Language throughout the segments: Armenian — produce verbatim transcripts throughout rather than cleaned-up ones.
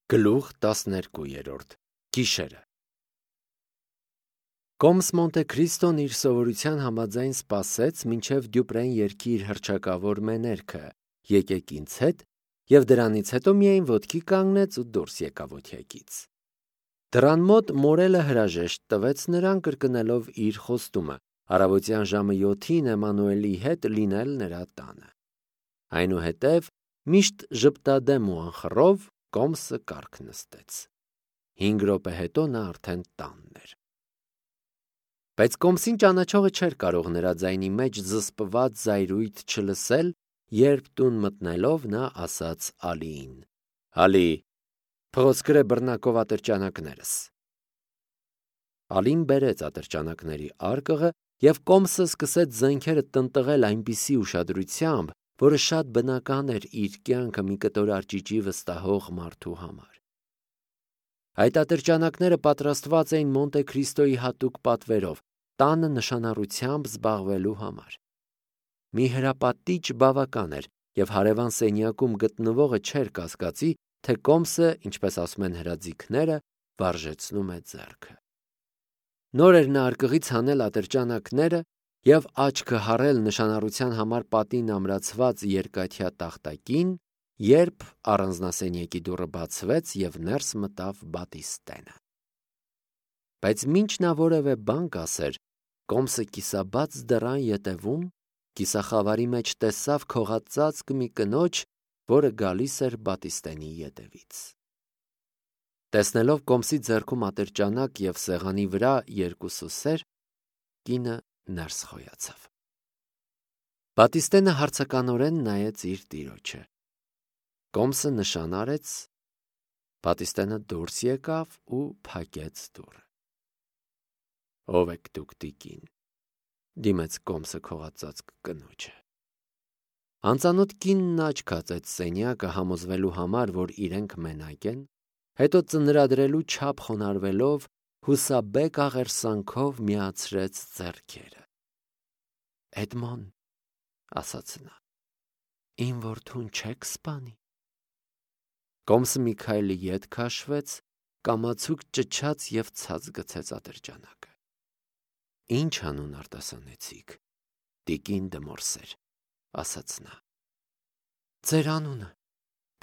Գլուխ տասներկու Գիշերը Կոմս Մոնտե Քրիստոն իր սովորության համաձայն սպասեց, մինչև Դյուպրեն երգի իր հռչակավոր մեներքը «Եկեք ինձ հետ» և դրանից հետո միայն ոտքի կանգնեց ու դուրս եկավ օթյակից։ Դռան մոտ մորելը հրաժեշտ տվեց նրան, կրկնելով իր խոստումը առավոտյան ժամը յոթին Էմմանուելի հետ լինել նրա տանը։ Այնուհետև միշտ ժպտադեմ ու անխռով Կոմսը կառք նստեց։ Հինգ րոպե հետո նա արդեն տանն էր։ Բայց Կոմսին ճանաչողը չէր կարող նրա ձայնի մեջ զսպված զայրույթ չլսել, երբ տուն մտնելով նա ասաց Ալիին. «Ալի, փողոց գրե բռնակով ատրճանակներս»։ Ալին բերեց ատրճանակների արկղը, և Կոմսը սկսեց զենքերը տնտղել այնպիսի ուշադրությամբ, որը շատ բնական էր իր կյանքը մի կտոր արճիճի վստահող մարդու համար։ Այդ ատրճանակները պատրաստված էին Մոնտե Քրիստոյի հատուկ պատվերով, տանը նշանառությամբ զբաղվելու համար։ Մի հրապատիչ բավական էր, և հարևան սենյակում գտնվողը չէր կասկածի, թե Կոմսը, ինչպես ասում են հրաձիգները, վարժեցնում է ձեռքը։ Նոր էր նա արկղից հանել ատրճանակները և աչքը հառել նշանառության համար պատին ամրացված երկաթյա տախտակին, երբ առանձնասենյակի դուռը բացվեց և ներս մտավ Բատիստենը։ Բայց մինչ նա որևէ բան կասեր, Կոմսը կիսաբաց դռան ետևում, կիսախավարի մեջ տեսավ քողածածկ մի կնոջ, որը գալիս էր Բատիստենի ետևից։ Տեսնելով Կոմսի ձեռքում ատրճանակ և սեղանի վրա երկու սուսեր, կինը ներս խոյացավ։ Բատիստենը հարցականորեն նայեց իր տիրոջը։ Կոմսը նշան արեց, Բատիստենը դուրս եկավ ու փակեց դուռը։ «Ո՞վ եք դուք, տիկին», դիմեց Կոմսը քողածածկ կնոջը։ Անծանոթ կինն աչք հացեց սենյակը համոզվելու համար, որ իրենք մենակ են, հետո ծնրադրելու չափ խոնարհվելով հուսաբեկ աղերսանքով միացրեց ձեռքերը։ «Էդմոն», ասաց նա, «իմ որդուն չեք սպանի»։ Կոմսը մի քայլ ետ քաշվեց, կամացուկ ճչաց և ցած գցեց ատրճանակը։ «Ինչ անուն արտասանեցիք, տիկին դը Մորսեր», ասաց նա։ «Ձեր անունը»,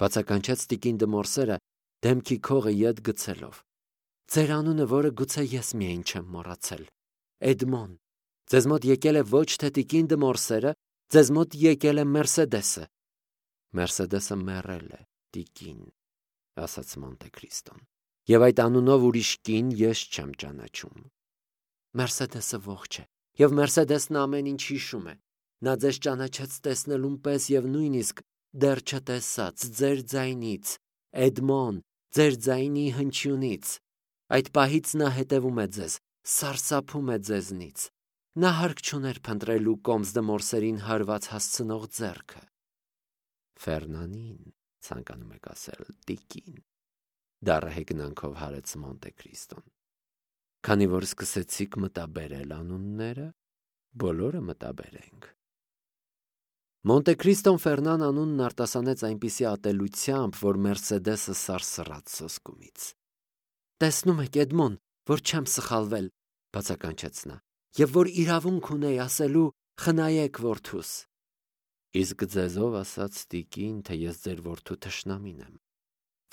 բացականչեց տիկին դը Մորսերը, դեմքի քողը ետ գցելով։ «Ձեր անունը, որը գուցե ես միայն չեմ մոռացել, Էդմոն։ Ձեզ մոտ եկել է ոչ թե տիկին դը Մորսերը, ձեզ մոտ եկել է Մերսեդեսը»։ «Մերսեդեսը մեռել է, տիկին», ասաց Մոնտե Քրիստոն, «և այդ անունով ուրիշ կին ես չեմ ճանաչում»։ «Մերսեդեսը ողջ է, և Մերսեդեսն ամեն ինչ հիշում է։ Նա ձեզ ճանաչեց տեսնելուն պես և նույնիսկ դեռ չտեսաց ձեր ձայնից, Էդմոն, ձեր ձայնի հնչյունից։ Այդ պահից նա հետևում է ձեզ, սարսափում է ձեզնից։ Նա հարկ չուներ փնտրելու Կոմս դը Մորսերին հարված հասցնող ձեռքը»։ «Ֆերնանին ցանկանում եք ասել, տիկին», դառը հեգնանքով հարեց Մոնտե Քրիստոն։ «Քանի որ սկսեցիք մտաբերել անունները, բոլորը մտաբերենք»։ Մոնտե Քրիստոն Ֆերնան անունն արտասանեց այնպիսի ատելությամբ, որ Մերսեդեսը սարսռաց սոսկումից։ «Տեսնում եք, Էդմոն, որ չեմ սխալվել», բացականչեց նա, «և որ իրավունք ունեի ասելու խնայեք որդուս»։ «Իսկ ձեզ ով ասաց, տիկին, թե ես ձեր որդու թշնամին եմ»։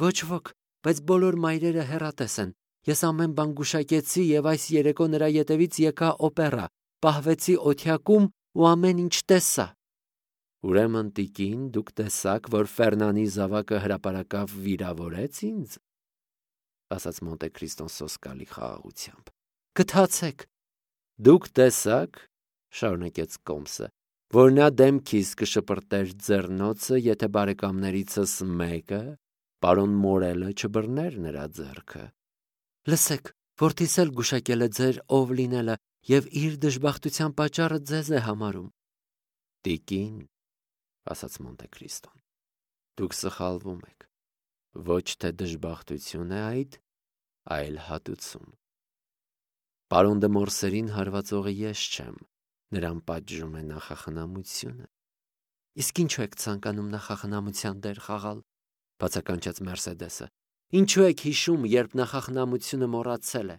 «Ոչ ոք, բայց բոլոր մայրերը հեռատես են։ Ես ամեն բան գուշակեցի և այս երեկո նրա ետևից եկա օպերա, պահվեցի օթյակում ու ամեն ինչ տեսա»։ «Ուրեմն, տիկին, դուք տեսաք, որ Ֆերնանի զավակը հրապարակավ վիրավորեց ինձ», ասաց Մոնտե Քրիստոն սոսկալի խաղաղությամբ։ «Գթացեք»։ «Դուք տեսաք», շարունակեց Կոմսը, «որ նա դեմքիս կշպրտեր ձեռնոցը, եթե բարեկամներիցս մեկը, պարոն Մորելը, չբռներ նրա ձեռքը»։ «Լսեք, որդիս էլ գուշակել է ձեր ով լինելը և իր դժբախտության պատճառը ձեզ է համարում»։ «Տիկին», ասաց Մոնտե Քրիստոն, «դուք սխալվում եք։ Ոչ թե դժբախտություն է այդ, այլ հատուցում։ Պարոն դը Մորսերին հարվածողը ես չեմ, նրան պատժում է նախախնամությունը»։ «Իսկ ինչու եք ցանկանում նախախնամության դեր խաղալ», բացականչեց Մերսեդեսը, Ինչու եք հիշում, երբ նախախնամությունը մոռացել է։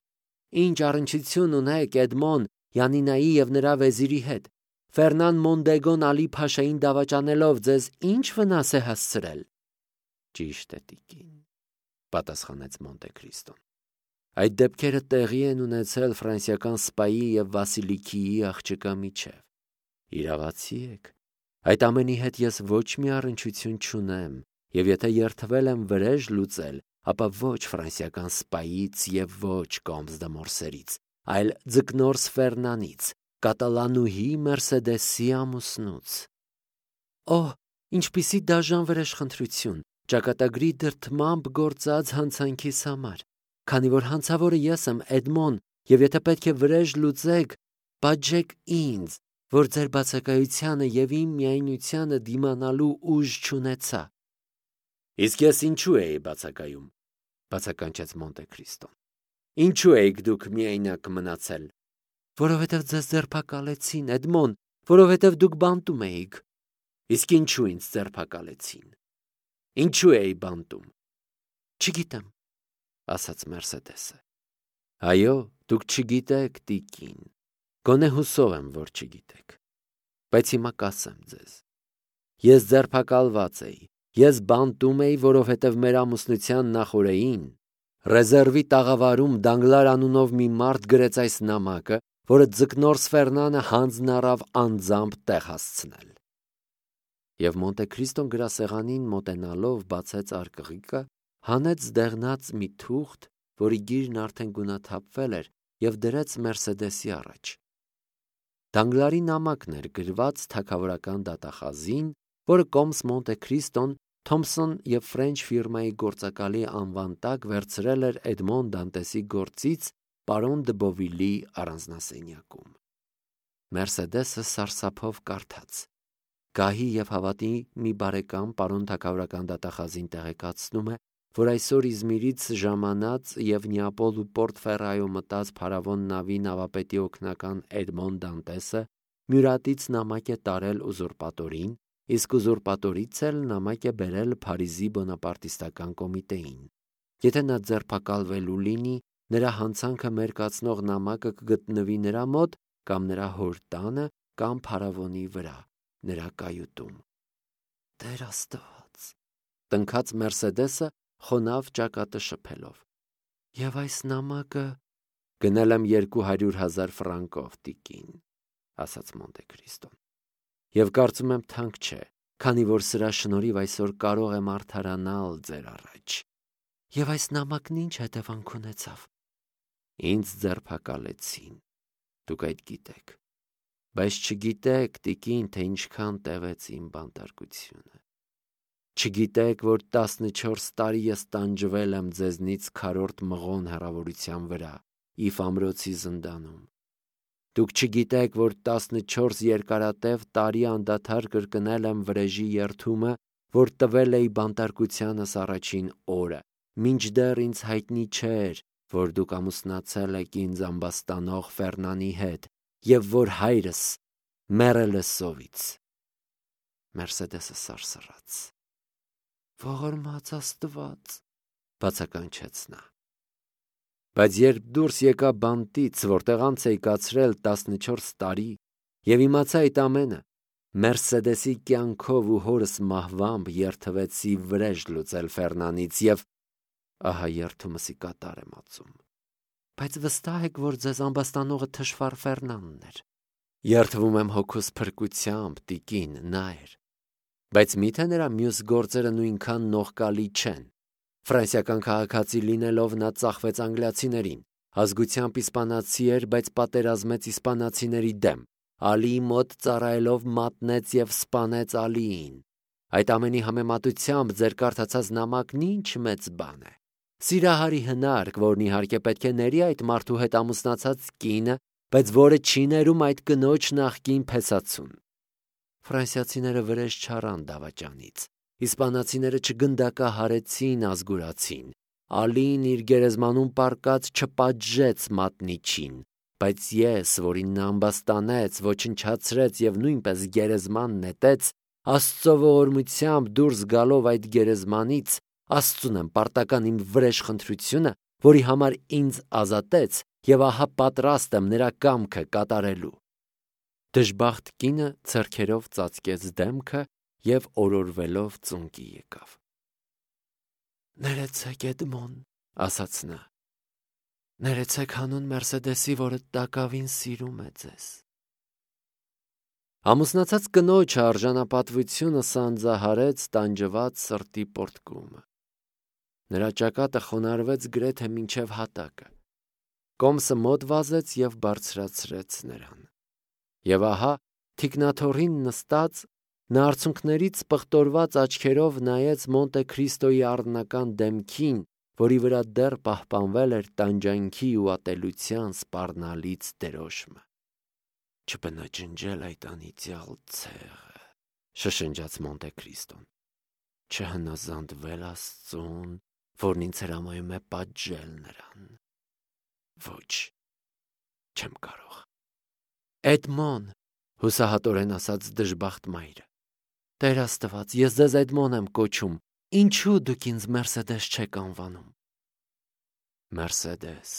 Ինչ առնչություն ունեք Էդմոն Յանինայի և նրա վեզիրի հետ։ Ֆերնան Մոնդեգոն Ալի Փաշային դավաճանելով ձեզ ինչ վնաս է հասցրել։ Ճիշտ է, տիկին, պատասխանեց Մոնտե Քրիստոն։ Այդ դեպքերը տեղի են ունեցել ֆրանսիական սպայի և Վասիլիկիի աղջկա միջև։ Իրավացի եք։ Այդ ամենի հետ ես ոչ մի առնչություն չունեմ, և եթե երդվել եմ վրեժ լուծել, ապա ոչ ֆրանսիական սպայից և ոչ Կոմս դե Մորսերից, այլ ձկնորս Ֆերնանից, կատալանուհի Մերսեդեսի ամուսնուց։ Օհ, ինչպիսի դաժան վրեժխնդրություն, ճակատագրի դրդմամբ գործած հանցանքիս համար, քանի որ հանցավորը ես եմ, Էդմոն, և եթե պետք է վրեժ լուծեք, պատժեք ինձ, որ ձեր բացակայությանը և իմ միայնությանը դիմանալու ուժ չունեցա։ Իսկ ես ինչու էի բացակայում, բացականչեց Մոնտե Քրիստոն։ Ինչու էիք դուք միայնակ մնացել։ Որովհետև ձեզ ձերբակալեցին, Էդմոն, որովհետև դուք բանտում էիք։ Իսկ ինչու ինձ ձերբակալեցին։ Ինչու էի բանտում։ Չգիտեմ, ասաց Մերսեդեսը։ Այո, դուք չգիտեք, տիկին, գոնե հուսով եմ, որ չգիտեք, բայց հիմա կասեմ ձեզ։ Ես ձերբակալված էի, ես բանտում էի, որովհետև մեր ամուսնության նախօրեին ռեզերվի տաղավարում Դանգլար անունով մի մարդ գրեց այս նամակը, որը ձկնորս Ֆերնանը հանձն առավ անձամբ տեղ հասցնել։ Եվ Մոնտե Քրիստոն գրասեղանին մոտենալով բացեց արկղիկը, հանեց դեղնած մի թուղթ, որի գիրն արդեն գունաթափվել էր, և դրեց Մերսեդեսի առաջ։ Դանգլարի նամակն էր գրված թագավորական դատախազին, որը Կոմս Մոնտե Քրիստոն Թոմփսոն և Ֆրենչ ֆիրմայի գործակալի անվան տակ վերցրել էր Էդմոն Դանտեսի գործից պարոն դը Բովիլի առանձնասենյակում։ Մերսեդեսը սարսափով կարդաց։ Գահի և հավատի մի բարեկամ պարոն թագավորական դատախազին տեղեկացնում է, որ այսօր Իզմիրից ժամանած և Նեապոլ ու Պորտ Ֆերրայո մտած փարավոն նավի նավապետի օգնական Էդմոն Դանտեսը Մյուրատից նամակ է տարել ուզուրպատորին, իսկ ուզուրպատորից էլ նամակ է բերել Փարիզի բոնապարտիստական կոմիտեին։ Եթե նա ձերբակալվելու լինի, նրա հանցանքը մերկացնող նամակը կգտնվի նրա մոտ կամ նրա հոր տանը կամ փարավոնի վրա, նրա կայուտում։ Տեր Աստված, տնքաց Մերսեդեսը խոնավ ճակատը շփելով։ Եվ այս նամակը գնել եմ երկու հարյուր հազար ֆրանկով, տիկին, ասաց Մոնտե Քրիստոն։ Եվ կարծում եմ թանկ չէ, քանի որ սրա շնորհիվ այսօր կարող եմ արդարանալ ձեր առաջ։ Եվ այս նամակն ինչ հետևանք ունեցավ։ Ինձ ձերբակալեցին, դուք այդ գիտեք, բայց չգիտեք, տիկին, թե ինչքան տևեց իմ բանտարկությունը։ Չգիտեք, որ տասնչորս տարի ես տանջվել եմ ձեզնից քառորդ մղոն հեռավորության վրա, Իֆ ամրոցի զնդանում։ Դուք չգիտեք, որ տասնչորս երկարատև տարի անդադար կրկնել եմ վրեժի երդումը, որ տվել էի բանտարկությանս առաջին օրը, մինչդեռ ինձ հայտնի չէր, որ դուք ամուսնացել եք ինձ ամբաստանող Ֆերնանի հետ, և որ հայրս մեռել է սովից։ Մերսեդեսը սարսռաց։ Ողորմած Աստված, բացականչեց նա։ Բայց երբ դուրս եկա բանտից, որտեղ անց էի կացրել տասնչորս տարի, և իմացա այդ ամենը, Մերսեդեսի կյանքով ու հորս մահվամբ երդվեցի վրեժ լուծել Ֆերնանից և ահա երդումս ի կատար եմ ածում։ Բայց վստահ եք, որ ձեզ ամբաստանողը թշվառ Ֆերնանն էր։ Երդվում եմ հոգուս փրկությամբ, տիկին, նա էր։ Բայց միթե նրա մյուս գործերը նույնքան նողկալի չեն։ Ֆրանսիական քաղաքացի լինելով նա ծախվեց անգլիացիներին, ազգությամբ իսպանացի էր, բայց պատերազմեց իսպանացիների դեմ, Ալիի մոտ ծառայելով մատնեց և սպանեց Ալիին։ Այդ ամենի համեմատությամբ ձեր կարդացած նամակն ինչ մեծ բան է։ Սիրահարի հնարք, որն իհարկե պետք է ների այդ մարդու հետ ամուսնացած կինը, բայց որը չի ներում այդ կնոջ նախկին փեսացուն։ Ֆրանսիացիները վրեժ չառան դավաճանից, իսպանացիները չգնդակահարեցին ազգուրացին, Ալին իր գերեզմանում պառկած չպատժեց մատնիչին, բայց ես, որին նա ամբաստանեց, ոչնչացրեց և նույնպես գերեզման նետեց, Աստծո ողորմությամբ դուրս գալով այդ գերեզմանից, Աստծուն եմ պարտական իմ վրեժ խնդրությունը, որի համար ինձ ազատեց, եւ ահա պատրաստ եմ նրա կամքը կատարելու։ Դժբախտ կինը ձեռքերով ծածկեց դեմքը եւ օրորվելով ծունկի եկավ։ «Ներեցեք, Էդմոն», ասաց նա։ «Ներեցեք հանուն Մերսեդեսի, որը տակավին սիրում է ձեզ»։ Ամուսնացած կնոջ արժանապատվությունը սանձահարեց տանջված սրտի պոռթկումը։ Նրա ճակատը խոնարհվեց գրեթե մինչև հատակը։ Կոմսը մոտ վազեց եւ բարձրացրեց նրան։ Եվ ահա թիկնաթոռին նստած նա արցունքներից պղտորված աչքերով նայեց Մոնտե Քրիստոյի առնական դեմքին, որի վրա դեռ պահպանվել էր տանջանքի ու ատելության սպառնալից դերոշմը։ «Չբնաջնջել այդ անիծյալ ցեղը», շշնջաց Մոնտե Քրիստոն, «չհնազանդվել Աստծուն, որն ինձ հրամայում է պատժել նրան։ Ոչ, չեմ կարող»։ «Էդմոն», հուսահատորեն ասաց դժբախտ մայրը, «Տեր Աստված, ես ձեզ Էդմոն եմ կոչում, ինչու դուք ինձ Մերսեդես չեք անվանում»։ «Մերսեդես»,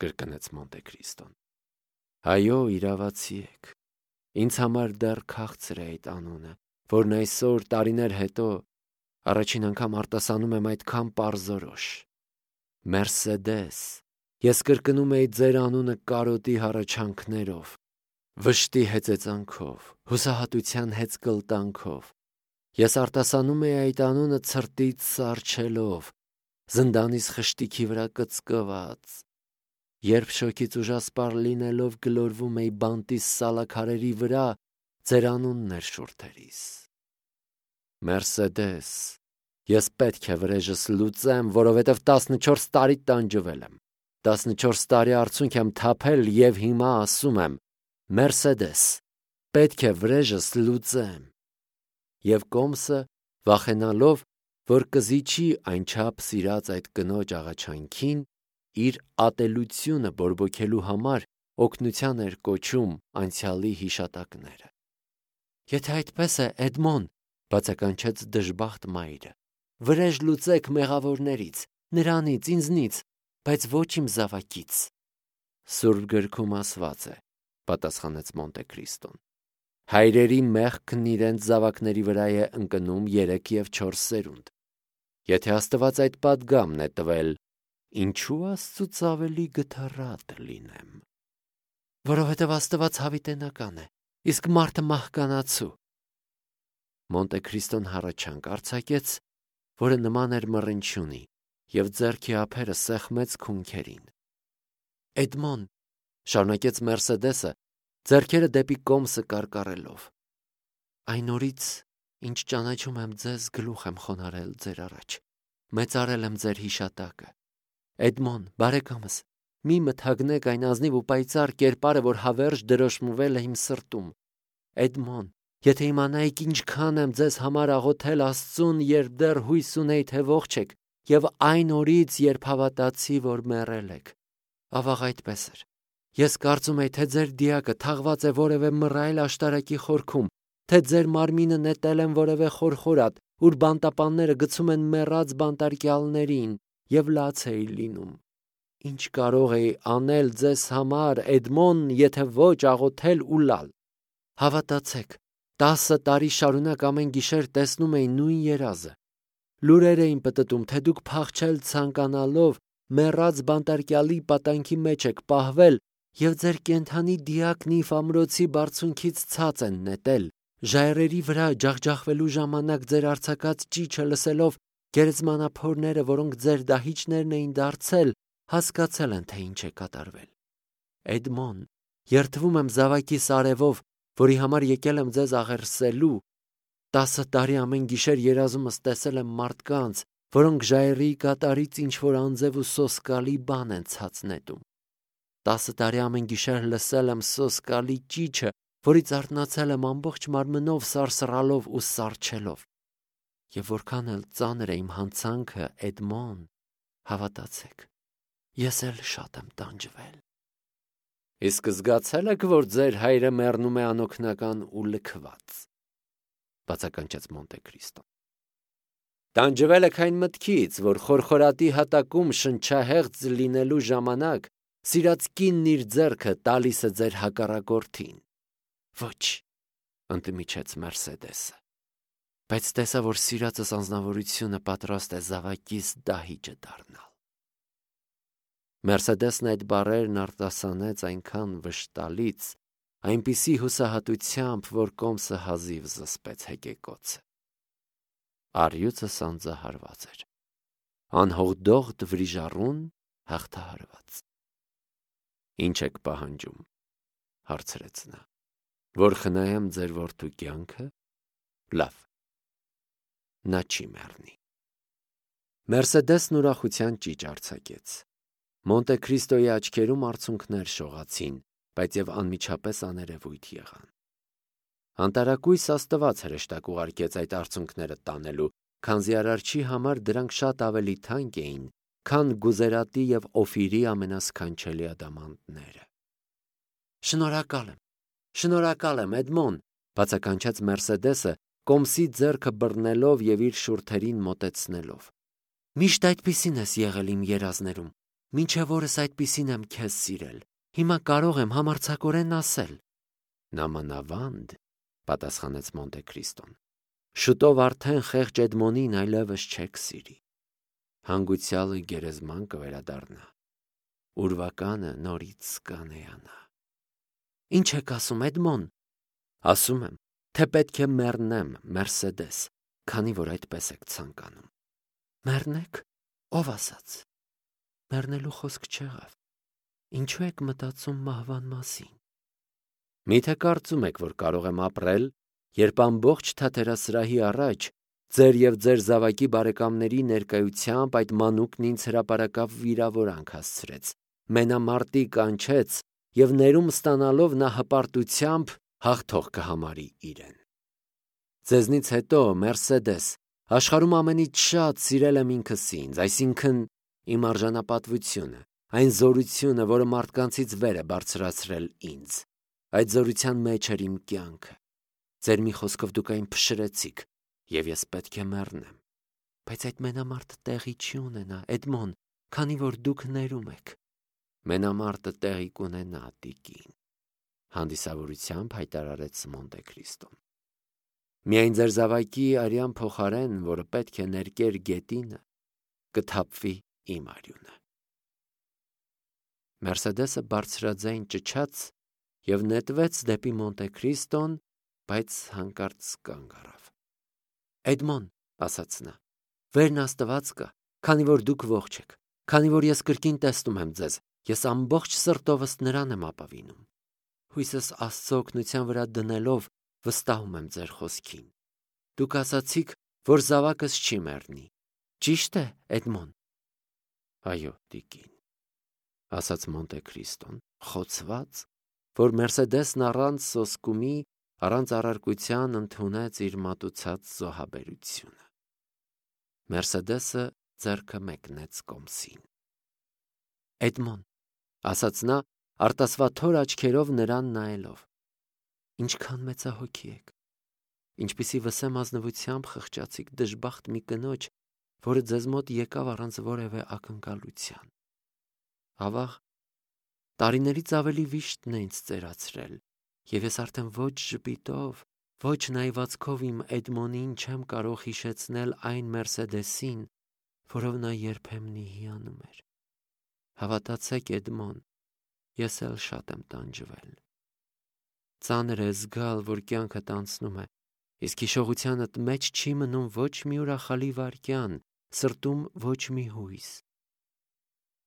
կրկնեց Մոնտե Քրիստոն, «այո, իրավացի եք։ Ինձ համար դեռ քաղցր է այդ անունը, որն այսօր տարիներ հետո առաջին անգամ արտասանում եմ այդքան պարզորոշ։ Մերսեդես, ես կրկնում էի ձեր անունը կարոտի հառաչանքներով, վշտի հեծեծանքով, հուսահատության հեծկլտանքով։ Ես արտասանում էի այդ անունը ցրտից սառչելով, զնդանիս խշտիքի վրա կծկված, երբ շոգից ուժասպառ լինելով գլորվում էի բանտիս սալաքարերի վրա, ձեր անունն էր շուրթերիս։ Մերսեդես, ես պետք է վրեժս լուծեմ, որովհետև տասնչորս տարի տանջվել եմ, տասնչորս տարի արցունք եմ թափել եւ հիմա ասում եմ. Մերսեդես, պետք է վրեժս լուծեմ։ Եվ Կոմսը, վախենալով, որ կզիջի այնչափ սիրած այդ կնոջ աղաչանքին, իր ատելությունը բորբոքելու համար օգնության էր կոչում անցյալի հիշատակները։ «Եթե այդպես է, Էդմոն», բացականչեց դժբախտ մայրը, «վրեժ լուծեք մեղավորներից, նրանից, ինձնից, բայց ոչ իմ զավակից»։ Սուրբ գրքում ասված է, պատասխանեց Մոնտե Քրիստոն, հայրերի մեղքն իրենց զավակների վրա է ընկնում երեք և չորս սերունդ։ Եթե Աստված այդ պատգամն է տվել, ինչու Աստծուց ավելի գթառատ լինեմ։ Որովհետև Աստված հավիտենական է, իսկ մարդը մահկանացու։ Մոնտե Քրիստոն հառաչանք արձակեց, որը նման էր մռնչյունի, և ձեռքի ափերը սեղմեց քունքերին։ «Էդմոն», շարունակեց Մերսեդեսը, ձեռքերը դեպի Կոմսը կարկառելով, «այն օրից, ինչ ճանաչում եմ ձեզ, գլուխ եմ խոնարհել ձեր առաջ, մեծարել եմ ձեր հիշատակը։ Էդմոն, բարեկամս, մի մթագնեք այն ազնիվ ու պայծառ կերպարը, որ հավերժ դրոշմվել է իմ սրտում։ Էդմոն, եթե իմանայիք ինչքան եմ ձեզ համար աղոթել Աստծուն, երբ դեռ հույս ունեի, թե ողջ եք, և այն օրից, երբ հավատացի, որ մեռել եք։ Ավաղ այդպես էր։ Ես կարծում էի, թե ձեր դիակը թաղված է որևէ մռայլ աշտարակի խորքում, թե ձեր մարմինը նետել են որևէ խորխորատ, ուր բանտապանները գցում են մեռած բանտարկյալներին, և լաց էի լինում։ Ինչ կարող էի անել ձեզ համար, Էդմոն, եթե ոչ աղոթել ու լալ։ Հավատացեք, տասը տարի շարունակ ամեն գիշեր տեսնում էի նույն երազը։ Լուրեր էին պտտում, թե դուք փախչել ցանկանալով մեռած բանտարկյալի պատանքի մեջ եք պահվել և ձեր կենդանի դիակն Իֆ ամրոցի բարձունքից ցած են նետել։ Ժայռերի վրա ջախջախվելու ժամանակ ձեր արձակած ճիչը լսելով գերեզմանափորները, որոնք ձեր դահիճներն էին դարձել, հասկացել են, թե ինչ է կատարվել։ Էդմոն, երդվում եմ զավակիս արևով, որի համար եկել եմ ձեզ աղերսելու։ Տասը տարի ամեն գիշեր երազումս տեսել եմ մարդկանց, որոնք ժայռի կատարից ինչ-որ անձև ու սոսկալի բան են ցած նետում։ Տասը տարի ամեն գիշեր լսել եմ սոսկալի ճիչը, որից արթնացել եմ ամբողջ մարմնով սարսռալով ու սառչելով։ Եվ որքան էլ ծանր է իմ հանցանքը, Էդմոն, հավատացեք, ես էլ շատ եմ տանջվել։ Իսկ զգացել եք, որ ձեր հայրը մեռնում է անօգնական ու լքված, բացականչեց Մոնտե Քրիստոն։ Տանջվել եք այն մտքից, որ խորխորատի հատակում շնչահեղձ լինելու ժամանակ սիրած կինն իր ձեռքը տալիս է ձեր հակառակորդին։ Ոչ, ընդմիջեց Մերսեդեսը, բայց տեսա, որ սիրածս անձնավորությունը պատրաստ է զավակիս դահիճը դառնալ։ Մերսեդեսն այդ բառերն արտասանեց այնքան վշտալից, այնպիսի հուսահատությամբ, որ Կոմսը հազիվ զսպեց հեկեկոցը։ Առյուծը սանձահարված էր, անհողդողդ վրիժառուն հաղթահարված։ Ինչ եք պահանջում, հարցրեց նա, որ խնայեմ ձեր որդու կյանքը։ Լավ, նա չի մեռնի։ Մերսեդեսն ուրախության ճիճ արձակեց։ Մոնտե Քրիստոյի աչքերում արցունքներ շողացին, բայց եւ անմիջապես աներևույթ եղան։ Անտարակույս Աստված հրեշտակ ուղարկեց այդ արցունքները տանելու, քանզի արարչի համար դրանք շատ ավելի թանկ էին, քան Գուզերատի եւ Օֆիրի ամենասքանչելի ադամանդները։ Շնորհակալ եմ, շնորհակալ եմ, Էդմոն, բացականչեց Մերսեդեսը, Կոմսի ձեռքը բռնելով եւ իր շուրթերին մոտեցնելով։ Միշտ այդպիսին ես եղել իմ երազներում, մինչև օրս այդպիսին եմ քեզ սիրել։ Հիմա կարող եմ համարձակորեն ասել։ Նամանավանդ, պատասխանեց Մոնտե Քրիստոն, շուտով արդեն խեղճ Էդմոնին այլևս չեք սիրի։ Հանգուցյալը գերեզման կվերադառնա, ուրվականը նորից կանեանա։ Ինչ եք ասում, Էդմոն։ Ասում եմ, թե պետք է մեռնեմ, Մերսեդես, քանի որ այդպես եք ցանկանում։ Մեռնեք, ով ասաց։ Մեռնելու խոսք չեղավ։ Ինչու եք մտածում մահվան մասին։ Միթե կարծում եք, որ կարող եմ ապրել, երբ ամբողջ թատերասրահի առաջ ձեր եւ ձեր զավակի բարեկամների ներկայությամբ այդ մանուկն ինձ հրապարակավ վիրավորանք հասցրեց, մենամարտի կանչեց եւ ներում ստանալով նա հպարտությամբ հաղթող կհամարի իրեն։ Ձեզնից հետո, Մերսեդես, աշխարհում ամենից շատ սիրել եմ ինքս ինձ, այսինքն իմ արժանապատվությունը, այն զորությունը, որը մարդկանցից վեր է բարձրացրել ինձ։ Այդ զորության մեջ էր իմ կյանքը։ Ձեր մի խոսքով դուք այն փշրեցիք, եւ ես պետք է մեռնեմ։ Բայց այդ մենամարտը տեղի չի ունենա, Էդմոն, քանի որ դուք ներում եք։ Մենամարտը տեղի կունենա, տիկին, հանդիսավորությամբ հայտարարեց Մոնտե Քրիստոն։ Միայն ձեր զավակի արյան փոխարեն, որը պետք է ներկեր գետինը, կթափվի իմ արյունը։ Մերսեդեսը բարձրաձայն ճչաց եւ նետվեց դեպի Մոնտե Քրիստոն, բայց հանկարծ կանգ առավ։ Էդմոն, ասաց նա, վերն Աստված կա, քանի որ դուք ողջ եք, քանի որ ես կրկին տեսնում եմ ձեզ, ես ամբողջ սրտովս նրան եմ ապավինում։ Հույսս Աստծո օգնության վրա դնելով վստահում եմ ձեր խոսքին։ Դուք ասացիք, որ զավակս չի մեռնի։ Ճիշտ է, Էդմոն։ Այո, տիկին, ասաց Մոնտե Քրիստոն, խոցված, որ Մերսեդեսն առանց սոսկումի, առանց առարկության ընդունեց իր մատուցած զոհաբերությունը։ Մերսեդեսը ձեռքը մեկնեց Կոմսին։ Էդմոն, ասաց նա, արտասվաթոր աչքերով նրան նայելով, ինչքան մեծահոգի եք, ինչպիսի վսեմ ազնվությամբ խղճացիք դժբախտ մի կնոջ, որը ձեզ մոտ եկավ առանց որևէ ակնկալության։ Ավաղ, տարիներից ավելի վիշտն է ինձ ծերացրել, եւ ես արդեն ոչ ժպիտով, ոչ նայվածքով իմ Էդմոնին չեմ կարող հիշեցնել այն Մերսեդեսին, որով նա երբեմն հիանում էր։ Հավատացեք, Էդմոն, ես էլ շատ եմ տանջվել։ Ծանր է զգալ, որ կյանքդ անցնում է, իսկ հիշողությանդ մեջ չի մնում ոչ մի ուրախալի վայրկյան, սրտում ոչ մի հույս։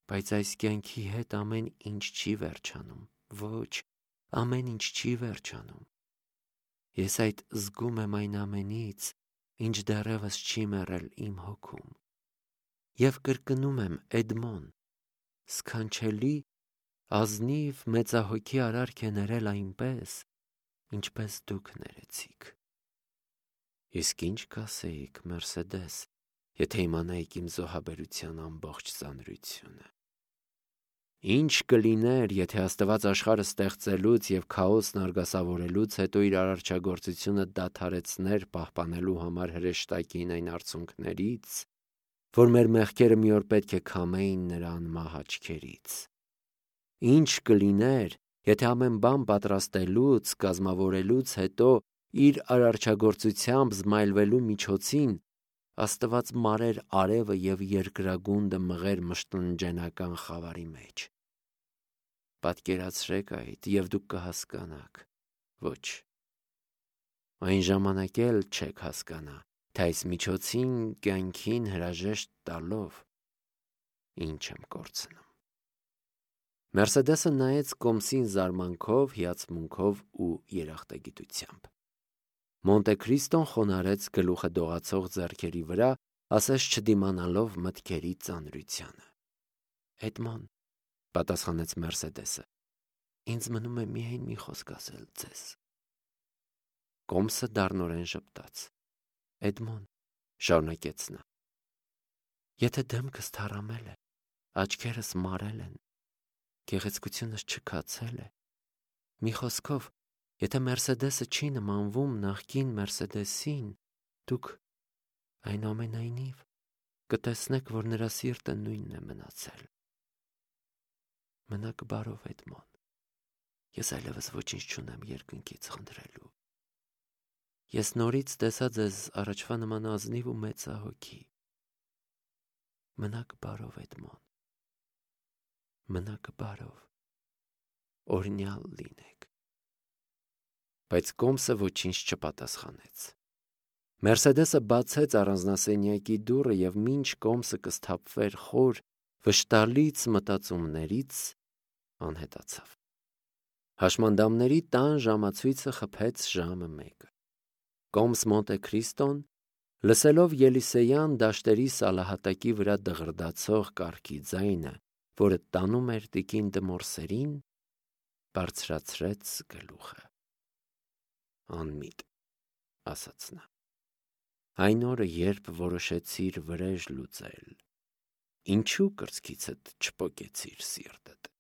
Բայց այս կյանքի հետ ամեն ինչ չի վերջանում, ոչ, ամեն ինչ չի վերջանում։ Ես այդ զգում եմ այն ամենից, ինչ դեռևս չի մեռել իմ հոգում։ Եվ կրկնում եմ, Էդմոն, սքանչելի, ազնիվ մեծահոգի արարք է ներել այնպես, ինչպես դուք ներեցիք։ Իսկ ինչ կասեիք, Մերսեդես, եթե իմանայիք իմ զոհաբերության ամբողջ ծանրությունը։ Ինչ կլիներ, եթե Աստված աշխարհը ստեղծելուց և քաոսն արգասավորելուց հետո իր արարչագործությունը դադարեցներ պահպանելու համար հրեշտակին այն արցունքներից, որ մեր մեղքերը մի օր պետք է քամեին նրա անմահ աչքերից։ Ինչ կլիներ, եթե ամեն բան պատրաստելուց, կազմավորելուց հետո իր արարչագործությամբ զմայլվելու միջոցին Աստված մարեր արևը և երկրագունդը մղեր մշտնջենական խավարի մեջ։ Պատկերացրեք այդ, և դուք կհասկանաք. ոչ, այն ժամանակ էլ չեք հասկանա, թե այս միջոցին կյանքին հրաժեշտ տալով ինչ եմ կորցնում։ Մերսեդեսը նայեց կոմսին զարմանքով, հիացմունքով ու երախտագիտությամբ։ Մոնտե Քրիստոն խոնարհեց գլուխը դողացող ձեռքերի վրա, ասես չդիմանալով մտքերի ծանրությանը։ «Էդմոն», պատասխանեց Մերսեդեսը, «ինձ մնում է միայն մի խոսք ասել ձեզ»։ Կոմսը դառնորեն ժպտաց։ «Էդմոն», շարունակեց նա, «եթե դեմքս թառամել է, աչքերս մարել են, գեղեցկությունս չքացել է, մի խոսքով, եթե Մերսեդեսը չի նմանվում նախկին Մերսեդեսին, դուք, այնուամենայնիվ, կտեսնեք, որ նրա սիրտը նույնն է մնացել։ Մնաք բարով, Էդմոն, ես այլևս ոչինչ չունեմ երկնքից խնդրելու։ Ես նորից տեսա ձեզ առաջվա նման ազնիվ ու մեծահոգի։ Մնաք բարով, Էդմոն, մնաք բարով, օրհնյալ լինեք»։ Բայց Կոմսը ոչինչ չպատասխանեց։ Մերսեդեսը բացեց առանձնասենյակի դուռը և մինչ Կոմսը կսթափվեր խոր, վշտալից մտածումներից, անհետացավ։ Հաշմանդամների տան ժամացույցը խփեց ժամը մեկը։ Կոմս Մոնտե Քրիստոն, լսելով Ելիսեյան դաշտերի սալահատակի վրա դղրդացող կառքի ձայնը, որը տանում էր տիկին Դմորսերին, բարձրացրեց գլուխը։ «Անմիտ», ասաց նա, «այն օրը, երբ որոշեցիր վրեժ լուծել, ինչու կրծքիցդ չպոկեցիր սիրտդ»։